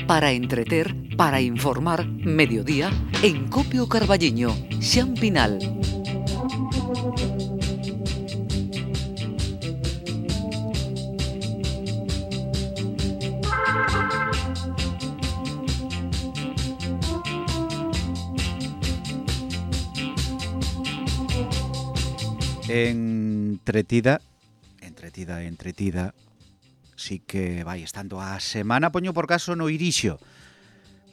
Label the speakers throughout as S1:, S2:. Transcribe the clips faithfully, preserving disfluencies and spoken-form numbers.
S1: para entreter, para informar, mediodía, en Copio Carballiño, Xan Pinal.
S2: Entretida, entretida, entretida, sí que vai estando a semana, poño por caso no Irixo.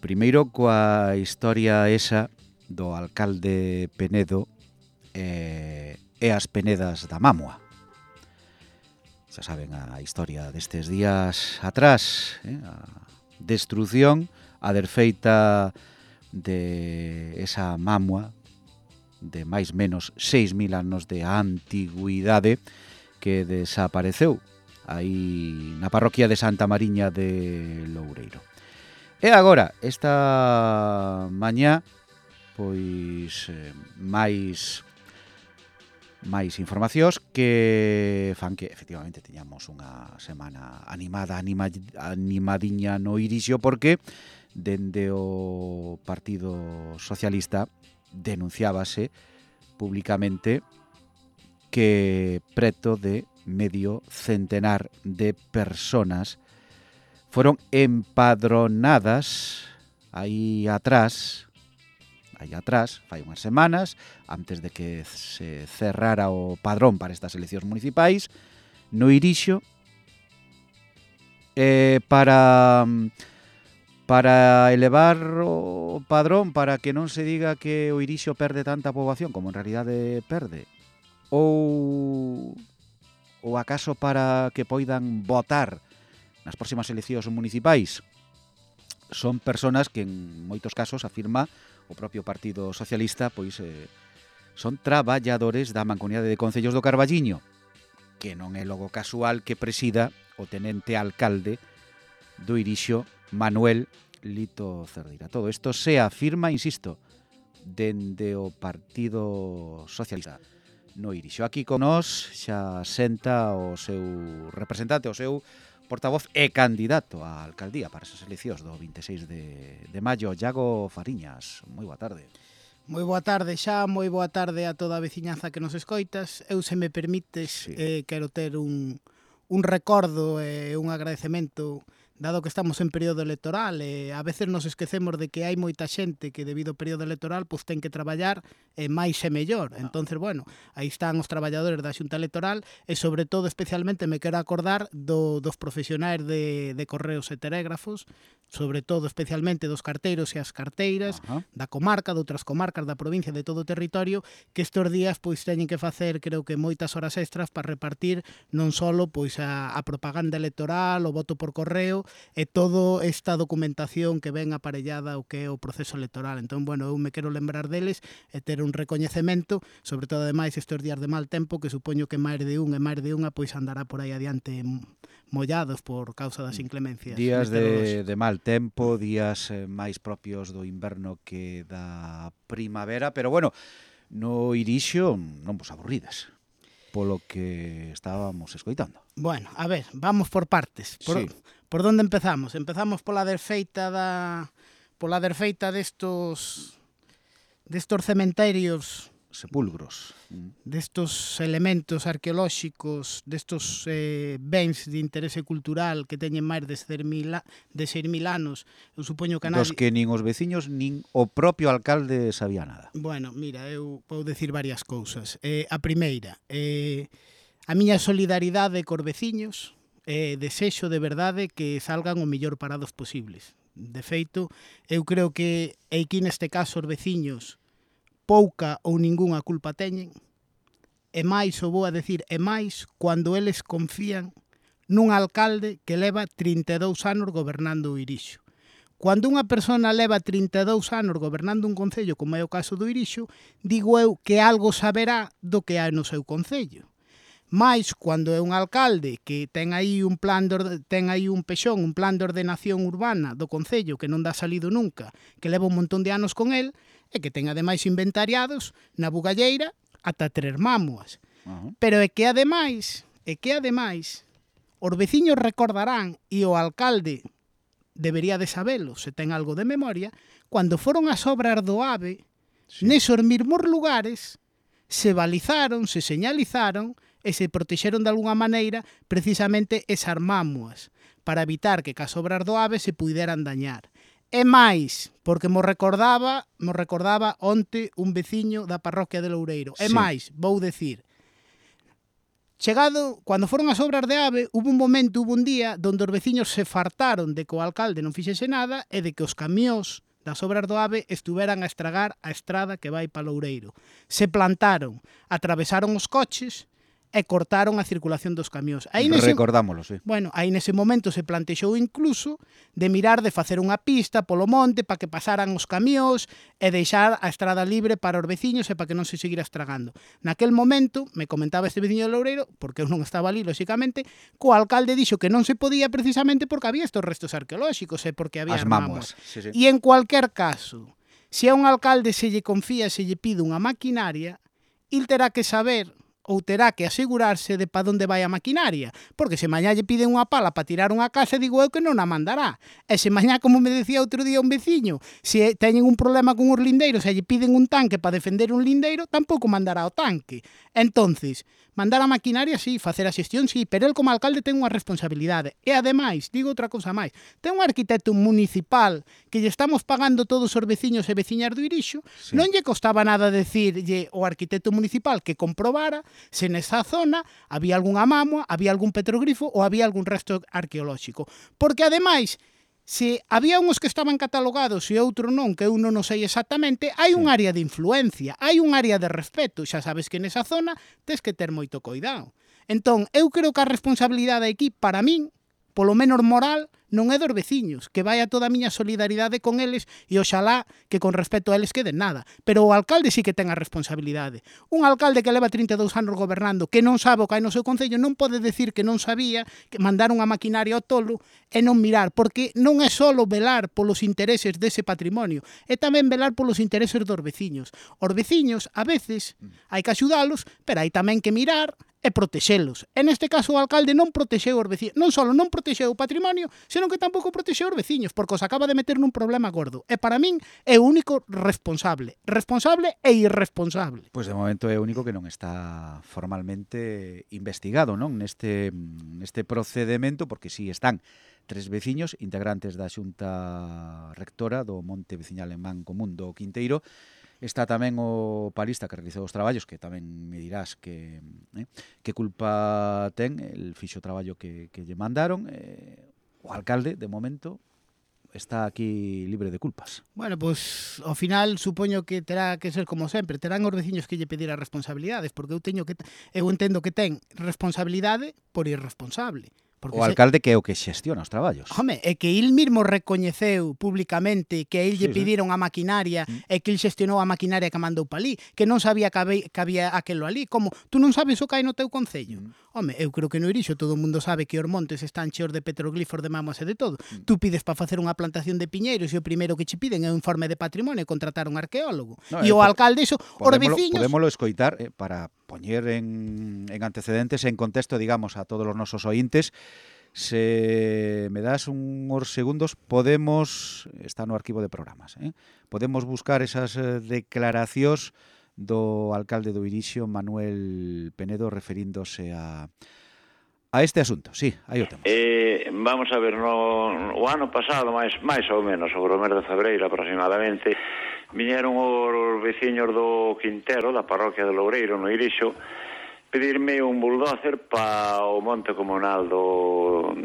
S2: Primeiro coa historia esa do alcalde Penedo eh, e as penedas da Mamua. Xa saben a historia destes días atrás, eh, a destrucción, a desfeita de esa Mamua de máis menos seis mil anos de antigüidade que desapareceu aí na parroquia de Santa Mariña de Loureiro. E agora, esta mañá, pois eh, máis máis informacións que fan que efectivamente teñamos unha semana animada, anima, animadiña no Irixo, porque dende o Partido Socialista denunciábase públicamente que preto de medio centenar de personas foron empadronadas aí atrás, aí atrás, fai unhas semanas, antes de que se cerrara o padrón para estas eleccións municipais, no Irixo, eh, para... para elevar o padrón, para que non se diga que o Irixo perde tanta poboación como en realidade perde, ou ou acaso para que poidan votar nas próximas eleccións municipais. Son personas que en moitos casos afirma o propio Partido Socialista, pois eh, son traballadores da Mancomunidade de Concellos do Carballiño, que non é logo casual que presida o tenente alcalde do Irixo, Manuel Lito Cerdeira. Todo isto se afirma, insisto, dende o Partido Socialista no Irixo. Aquí con nós xa senta o seu representante, o seu portavoz e candidato á alcaldía para esas eleccións do vinte e seis de, de maio, Iago Fariñas. Moi boa tarde.
S3: Moi boa tarde xa, moi boa tarde a toda a veciñanza que nos escoitas. Eu, se me permites, sí. eh, quero ter un, un recordo e eh, un agradecemento, dado que estamos en período electoral, e a veces nos esquecemos de que hai moita xente que debido ao período electoral pois ten que traballar e máis e mellor. Entonces, bueno, aí están os traballadores da Xunta Electoral e, sobre todo, especialmente me quero acordar do, dos profesionais de, de correos e telégrafos, sobre todo, especialmente, dos carteiros e as carteiras, uh-huh. da comarca, de outras comarcas da provincia, de todo o territorio, que estes días pois teñen que facer, creo que, moitas horas extras para repartir non só pois a, a propaganda electoral, o voto por correo, e toda esta documentación que ven aparellada o que é o proceso electoral. Entón, bueno, eu me quero lembrar deles e ter un recoñecemento, sobre todo, ademais, estes días de mal tempo, que supoño que máis de un e máis de unha pois andará por aí adiante mollados por causa das inclemencias.
S2: Días de, de mal tempo, días eh, máis propios do inverno que da primavera, pero bueno, no Irixo non vos aburrides polo que estábamos escoitando.
S3: Bueno, a ver, vamos por partes. Por, sí. por onde empezamos? Empezamos pola desfeita da pola desfeita destos destos cementerios,
S2: sepulcros,
S3: destos elementos arqueolóxicos, destos eh, bens de interese cultural que teñen máis de seis mil anos. Eu supoño que
S2: nadie... Dos que nin os veciños nin o propio alcalde sabía nada.
S3: Bueno, mira, eu vou decir varias cousas. Eh, a primeira, eh, a miña solidaridade cos veciños, eh, desexo de verdade que salgan o mellor parados posibles. De feito, eu creo que aquí neste caso os veciños pouca ou ningunha culpa teñen, e máis, o vou a decir, e máis cando eles confían nun alcalde que leva trinta e dous anos gobernando o Irixo. Cando unha persona leva trinta e dous anos gobernando un concello, como é o caso do Irixo, digo eu que algo saberá do que hai no seu concello. Mais, cando é un alcalde que ten aí un plan de, ten aí un pexón, un plan de ordenación urbana do concello que non dá salido nunca, que leva un montón de anos con el, e que ten ademais inventariados na bugalleira ata tres mámoas. Uh-huh. Pero é que ademais, é que ademais, os veciños recordarán, e o alcalde debería de sabelo, se ten algo de memoria, cando foron as obras do AVE, sí. nesos mesmos lugares se balizaron, se señalizaron e se protexeron de alguna maneira precisamente esas mámoas para evitar que cas obras do AVE se puderan dañar. E máis, porque mo recordaba, mo recordaba onte un veciño da parroquia de Loureiro. E sí. máis, vou decir, chegado, cando foron as obras de AVE, hubo un momento, hubo un día, donde os veciños se fartaron de que o alcalde non fixese nada e de que os camións das obras do AVE estuveran a estragar a estrada que vai para Loureiro. Se plantaron, atravesaron os coches e cortaron a circulación dos camións. Aí nese,
S2: recordámoslo, sí.
S3: Bueno, aí nese momento se plantexou incluso de mirar de facer unha pista polo monte para que pasaran os camións e deixar a estrada libre para os veciños e para que non se seguira estragando. Naquel momento, me comentaba este veciño de Loureiro, porque eu non estaba ali, lóxicamente, co alcalde dixo que non se podía precisamente porque había estos restos arqueolóxicos e porque había
S2: as mámoas. Sí, sí.
S3: E en cualquier caso, se a un alcalde se lle confía, se lle pide unha maquinaria, il terá que saber ou terá que asegurarse de pa onde vai a maquinaria, porque se mañá lle piden unha pala para tirar unha casa, digo eu que non a mandará. E se mañá, como me decía outro día un veciño, se teñen un problema con os lindeiros e lle piden un tanque para defender un lindeiro, tampouco mandará o tanque. Entonces, mandar a maquinaria, sí, facer a xestión, sí, pero el como alcalde ten unha responsabilidade. E ademais, digo outra cousa máis, ten un arquitecto municipal que lle estamos pagando todos os veciños e veciñas do Irixo, sí. non lle costaba nada decirlle ao arquitecto municipal que comprobara se nesa zona había algunha mámoa, había algún petroglifo ou había algún resto arqueolóxico. Porque, ademais, se había uns que estaban catalogados e outro non, que eu non o sei exactamente, hai sí. un área de influencia, hai un área de respeto. Xa sabes que nesa zona tes que ter moito cuidado. Entón, eu creo que a responsabilidade aquí, para min, polo menos moral, non é dos veciños, que vai a toda a miña solidaridade con eles e oxalá que con respecto a eles queden nada. Pero o alcalde sí que ten a responsabilidade. Un alcalde que leva trinta e dous anos gobernando, que non sabe o que hai no seu concello, non pode decir que non sabía, que mandar unha maquinaria ao tolo e non mirar, porque non é só velar polos intereses dese patrimonio, é tamén velar polos intereses dos veciños. Os veciños, a veces, hai que axudalos, pero hai tamén que mirar e protexelos. En este caso o alcalde non protexeu os veciños, non só non protexeu o patrimonio, senón que tampouco protexeu os veciños, porque os acaba de meter nun problema gordo. E para min é o único responsable, responsable e irresponsable.
S2: Pois de momento é o único que non está formalmente investigado, non, neste neste procedemento, porque si están tres veciños integrantes da Xunta Rectora do Monte Veciñal en Man Común do Quinteiro. Está tamén o palista que realizou os traballos, que tamén me dirás que eh, que culpa ten, el fixo traballo que, que lle mandaron. Eh, o alcalde, de momento, está aquí libre de culpas.
S3: Bueno, pois, ao final, supoño que terá que ser como sempre. Terán os veciños que lle pedir as responsabilidades, porque eu teño que eu entendo que ten responsabilidade por irresponsable.
S2: Porque o alcalde se... que é o que xestiona os traballos.
S3: Home, é que il mismo recoñeceu públicamente que a il lle sí, pediron sí. a maquinaria mm. e que il xestionou a maquinaria que mandou pa ali, que non sabía que había, que había aquelo ali. Como, tú non sabes o que hai no teu concello? Mm. Home, eu creo que no Irixo todo o mundo sabe que os montes están cheos de petroglifos, de mámoas e de todo. Mm. Tú pides para facer unha plantación de piñeiros e o primeiro que che piden é un informe de patrimonio e contratar un arqueólogo. No, e eh, o alcalde, iso, os veciños...
S2: Podémolo escoitar eh, para poñer en, en antecedentes, en contexto, digamos, a todos os nosos ointes. Se me das uns segundos, podemos, está no arquivo de programas, eh? podemos buscar esas declaracións do alcalde do Irixo, Manuel Penedo, referíndose a, a este asunto. Sí, aí o temos.
S4: Eh, vamos a ver, no, o ano pasado, máis, máis ou menos, sobre o mes de febreiro aproximadamente, viñeron os veciños do Quintero, da parroquia de Loureiro, no Irixo, pedirme un bulldozer para o monte comunal do,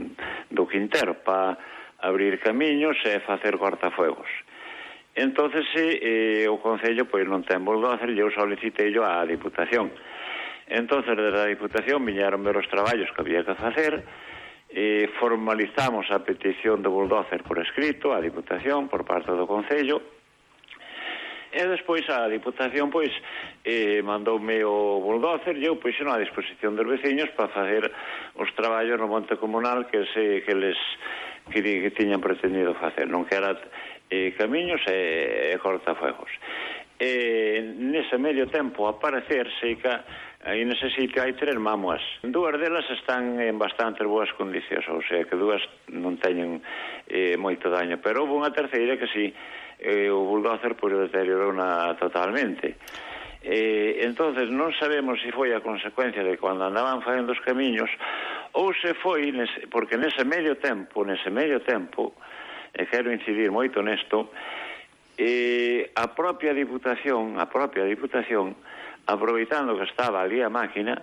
S4: do Quintero, para abrir camiños e facer cortafuegos. Entonces, eh, o Concello pois non ten bulldozer e eu solicitei á Diputación. Entonces, desde a Diputación viñeron ver os traballos que había que facer, e formalizamos a petición de bulldozer por escrito á Diputación por parte do Concello. E despois a Diputación pois eh, mandoume o bulldozer e eu puxen á disposición dos veciños para facer os traballos no monte comunal que se que les que, que tiñan pretendido facer, non que era eh, camiños e, e cortafuegos. E nese medio tempo, a parecer, seica aí nese sitio hai tres mámoas. Dúas delas están en bastante boas condicións, ou sea que dúas non teñen eh, moito daño, pero houve unha terceira que si, eh, o bulldozer pois deteriorou-na totalmente. Eh, entonces non sabemos se foi a consecuencia de cando andaban facendo os camiños ou se foi, nese, porque nese medio tempo, nese medio tempo, e quero incidir moito nesto, eh, a propia Diputación, a propia Diputación, aproveitando que estaba ali a máquina,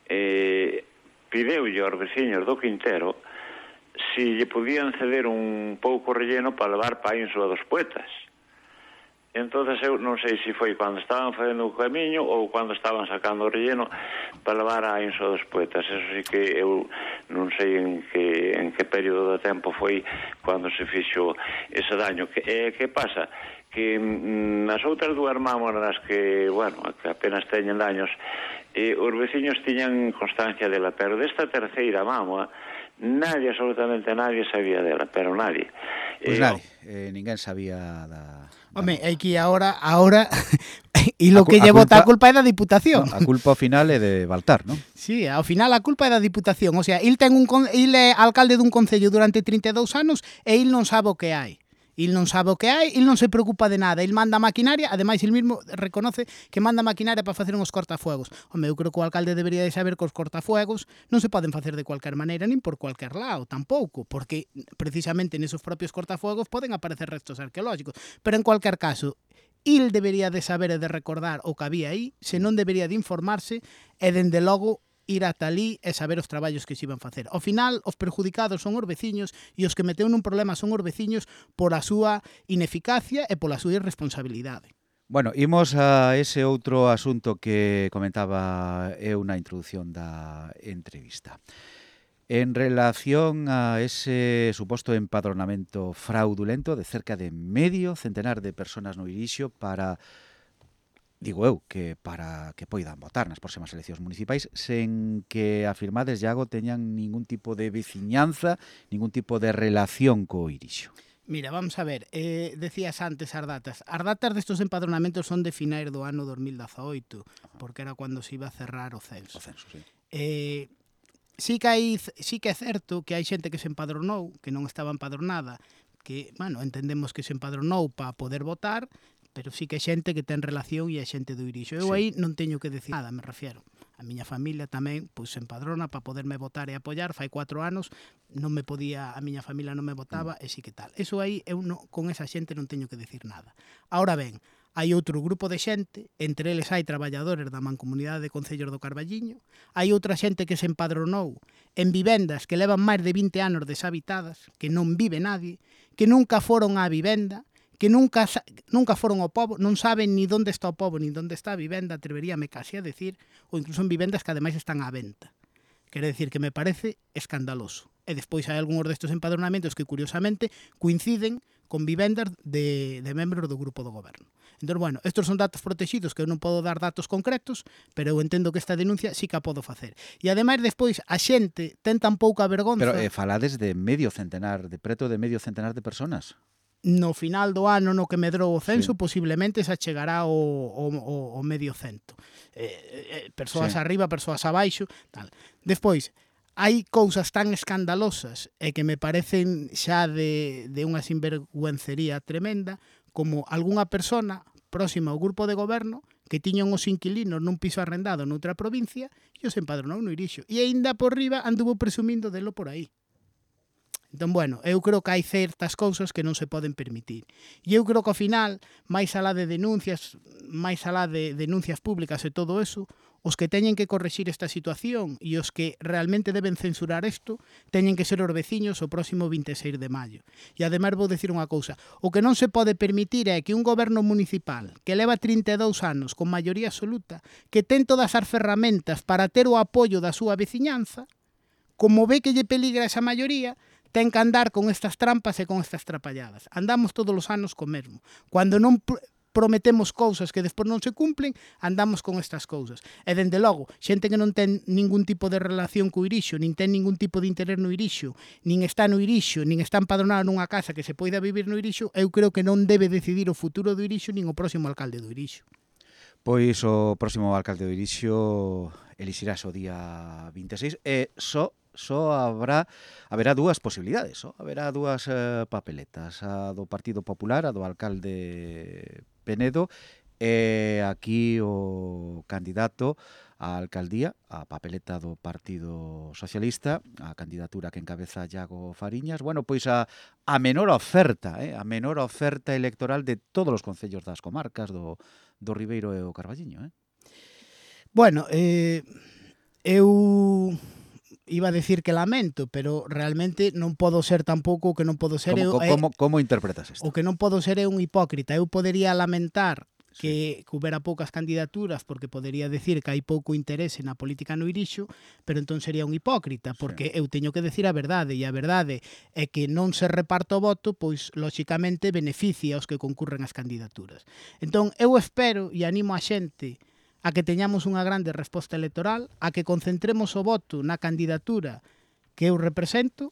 S4: eh, pideulle aos veciños do Quintero si lle podían ceder un pouco relleno para levar pa Insua dos Poetas. Entonces eu non sei se foi cando estaban facendo o camiño ou cando estaban sacando o relleno para levar a Insua dos Poetas. Eso sí que eu non sei en que, en que período de tempo foi cando se fixo ese daño. Que, eh, que pasa? Que mm, as outras dúas mámoras que, bueno, que apenas teñen daños, eh, os veciños tiñan constancia dela, pero desta terceira mámoa nadie, absolutamente nadie sabía dela, pero nadie.
S2: Pois pues
S4: eh,
S2: nadie, eh, ninguén sabía da...
S3: Home, é que agora, agora e lo
S2: A
S3: que
S2: cu- a
S3: lle bota a
S2: culpa-
S3: culpa é da Diputación.
S2: A culpa ao final é de Baltar, non?
S3: Sí, ao final a culpa é da Diputación. O sea, il ten un con... il é alcalde dun concello durante trinta e dous anos e il non sabe o que hai. Il non sabe o que hai, il non se preocupa de nada. Il manda maquinaria, ademais il mismo reconoce que manda maquinaria para facer uns cortafuegos. Home, eu creo que o alcalde debería de saber que os cortafuegos non se poden facer de cualquier maneira nin por cualquier lado, tampouco, porque precisamente nesos propios cortafuegos poden aparecer restos arqueológicos. Pero en cualquier caso, il debería de saber e de recordar o que había aí, se non debería de informarse e, dende logo, ir ata ali e saber os traballos que se iban facer. Ao final, os perjudicados son os veciños e os que meteu nun problema son os veciños por a súa ineficacia e pola súa irresponsabilidade.
S2: Bueno, imos a ese outro asunto que comentaba eu na introdución da entrevista. En relación a ese suposto empadronamento fraudulento de cerca de medio centenar de personas no Irixo para, digo eu, que para que poidan votar nas próximas eleccións municipais sen que afirmades, Iago, teñan ningún tipo de veciñanza, ningún tipo de relación co Irixo.
S3: Mira, vamos a ver, eh, decías antes as datas. As datas destos empadronamentos son de finais do ano dos mil dezaoito, porque era cando se iba a cerrar o censo.
S2: O censo, sí.
S3: Eh, sí que hai, sí que é certo que hai xente que se empadronou, que non estaba empadronada, que, bueno, entendemos que se empadronou para poder votar, pero sí que é xente que ten relación e é xente do Irixo. Eu
S2: Sí.
S3: aí non teño que decir nada, me refiero. A miña familia tamén pois, se empadrona para poderme votar e apoiar. Fai cuatro anos non me podía, a miña familia non me votaba, mm. e sí que tal. Eso aí, eu non, con esa xente non teño que decir nada. Ahora ben, hai outro grupo de xente, entre eles hai traballadores da Mancomunidade de Concellos do Carballiño, hai outra xente que se empadronou en vivendas que levan máis de vinte anos deshabitadas, que non vive nadie, que nunca foron á vivenda, que nunca nunca foron ao pobo, non saben ni onde está o pobo, ni onde está a vivenda, atreveríame casi a decir, ou incluso en vivendas que ademais están á venta. Quere decir que me parece escandaloso. E despois hai algúns destes empadronamentos que, curiosamente, coinciden con vivendas de, de membros do grupo do goberno. Entón, bueno, estos son datos protegidos que eu non podo dar datos concretos, pero eu entendo que esta denuncia sí que a podo facer. E ademais, despois, a xente ten tan pouca vergonza...
S2: Pero eh, falades de medio centenar, de preto de medio centenar de personas.
S3: No final do ano no que medrou o censo,
S2: Sí.
S3: posiblemente se achegará o, o, o medio cento. Eh, eh, persoas
S2: Sí.
S3: arriba, persoas abaixo, tal. Despois, hai cousas tan escandalosas e que me parecen xa de, de unha sinvergüencería tremenda, como algunha persona próxima ao grupo de goberno que tiñan os inquilinos nun piso arrendado noutra provincia e os empadronou no Irixo. E aínda por riba anduvo presumindo delo por aí. Entón, bueno, eu creo que hai certas cousas que non se poden permitir. E eu creo que ao final, máis alá de denuncias, máis alá de denuncias públicas e todo eso, os que teñen que correxir esta situación e os que realmente deben censurar isto, teñen que ser os veciños o próximo vinte e seis de maio. E ademais vou dicir unha cousa, o que non se pode permitir é que un goberno municipal que leva trinta e dous anos con maioría absoluta, que ten todas as ferramentas para ter o apoio da súa veciñanza, como ve que lle peligra esa maioría, ten que andar con estas trampas e con estas trapalladas. Andamos todos os anos co mesmo. Cando non pr prometemos cousas que despois non se cumplen, andamos con estas cousas. E, dende logo, xente que non ten ningún tipo de relación co Irixo, nin ten ningún tipo de interés no Irixo, nin está no Irixo, nin está empadronado nunha casa que se poida vivir no Irixo, eu creo que non debe decidir o futuro do Irixo nin o próximo alcalde do Irixo.
S2: Pois o próximo alcalde do Irixo elixirás o día vinte e seis e só só habrá haberá dúas posibilidades, só haberá dúas eh, papeletas, a do Partido Popular, a do alcalde Penedo, e aquí o candidato á alcaldía, a papeleta do Partido Socialista, a candidatura que encabeza Iago Fariñas, bueno, pois a, a menor oferta, eh, a menor oferta electoral de todos os concellos das comarcas do, do Ribeiro e o Carballiño, eh?
S3: Bueno, eh, eu iba a decir que lamento, pero realmente non podo ser tampouco o que non podo ser
S2: Como,
S3: eu,
S2: como, como interpretas isto?
S3: o que non podo ser é un hipócrita. Eu podería lamentar
S2: Sí.
S3: que, que houbera poucas candidaturas porque podería decir que hai pouco interese na política no Irixo, pero entón sería un hipócrita, porque eu teño que decir a verdade, e a verdade é que non se reparta o voto, pois lóxicamente beneficia aos que concurren as candidaturas. Entón eu espero e animo a xente a que teñamos unha grande resposta electoral, a que concentremos o voto na candidatura que eu represento,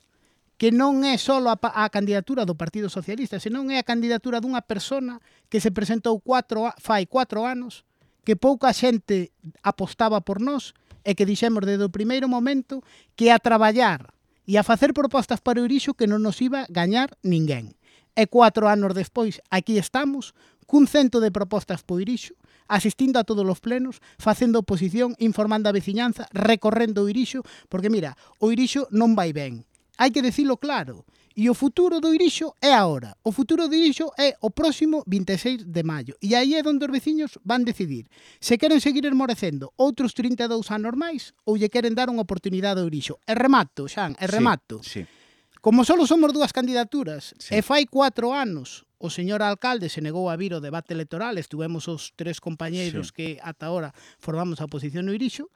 S3: que non é só a, a candidatura do Partido Socialista, senón é a candidatura dunha persona que se presentou cuatro, fai cuatro anos, que pouca xente apostaba por nós e que dixemos desde o primeiro momento que a traballar e a facer propostas para o Irixo que non nos iba a gañar ninguén. E cuatro anos despois, aquí estamos, cun cento de propostas para o Irixo, asistindo a todos os plenos, facendo oposición, informando a veciñanza, recorrendo o Irixo, porque mira, o Irixo non vai ben. Hai que dicilo claro. E o futuro do Irixo é agora. O futuro do Irixo é o próximo vinte e seis de maio. E aí é onde os veciños van decidir se queren seguir esmorecendo outros trinta e dous anos máis ou lle queren dar unha oportunidade ao Irixo. E remato, Xan, e remato.
S2: Sí, sí.
S3: Como só somos dúas candidaturas
S2: Sí.
S3: e fai cuatro anos o señor alcalde se negou a vir ao debate electoral, estuvemos os tres compañeiros
S2: Sí.
S3: que ata ahora formamos a oposición no Irixo,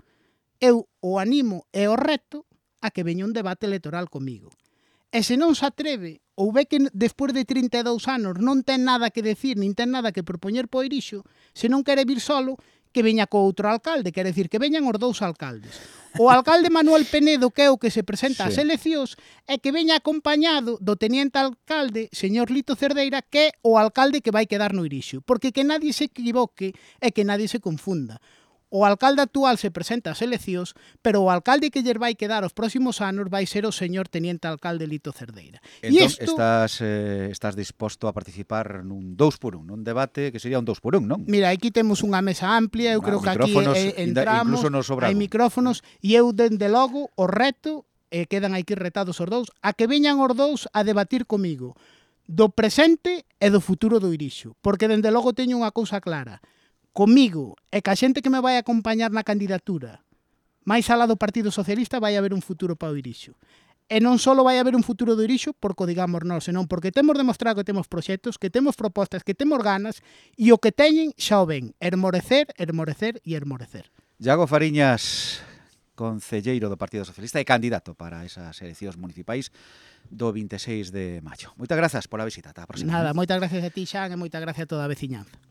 S3: eu o animo e o reto a que veña un debate electoral comigo. E se non se atreve, ou ve que despois de trinta e dous anos non ten nada que decir, nin ten nada que propoñer po Irixo, se non quere vir solo, que veña co outro alcalde, quere decir que veñan os dous alcaldes. O alcalde Manuel Penedo, que é o que se presenta ás
S2: Sí.
S3: eleccións, e que veña acompañado do teniente alcalde, señor Lito Cerdeira, que é o alcalde que vai quedar no Irixo. Porque que nadie se equivoque e que nadie se confunda. O alcalde actual se presenta ás eleccións, pero o alcalde que lle vai quedar os próximos anos vai ser o señor teniente alcalde Lito Cerdeira. E
S2: Entón,
S3: isto,
S2: estás, eh, estás disposto a participar nun dous por un, nun debate que sería un dous por un, non?
S3: mira, aquí temos unha mesa amplia, eu
S2: Ah,
S3: creo que aquí
S2: micrófonos,
S3: eh,
S2: inda-
S3: entramos,
S2: incluso nos sobra
S3: hai
S2: algo.
S3: micrófonos, e eu, dende logo, o reto, e quedan aquí retados os dous, a que veñan os dous a debatir comigo do presente e do futuro do Irixo, porque dende logo teño unha cousa clara. Comigo e ca xente que me vai acompañar na candidatura máis alá do Partido Socialista vai haber un futuro para o Irixo. E non só vai haber un futuro do Irixo porque o digamos nós, senón porque temos demostrado que temos proxectos, que temos propostas, que temos ganas, e o que teñen xa o ven, hermorecer, hermorecer e hermorecer.
S2: Iago Fariñas, concelleiro do Partido Socialista e candidato para esas eleccións municipais do vinte e seis de maio. Moitas grazas pola visita, ata a próxima.
S3: Nada, moitas gracias a ti, Xan, e moitas gracias a toda a veciñanza.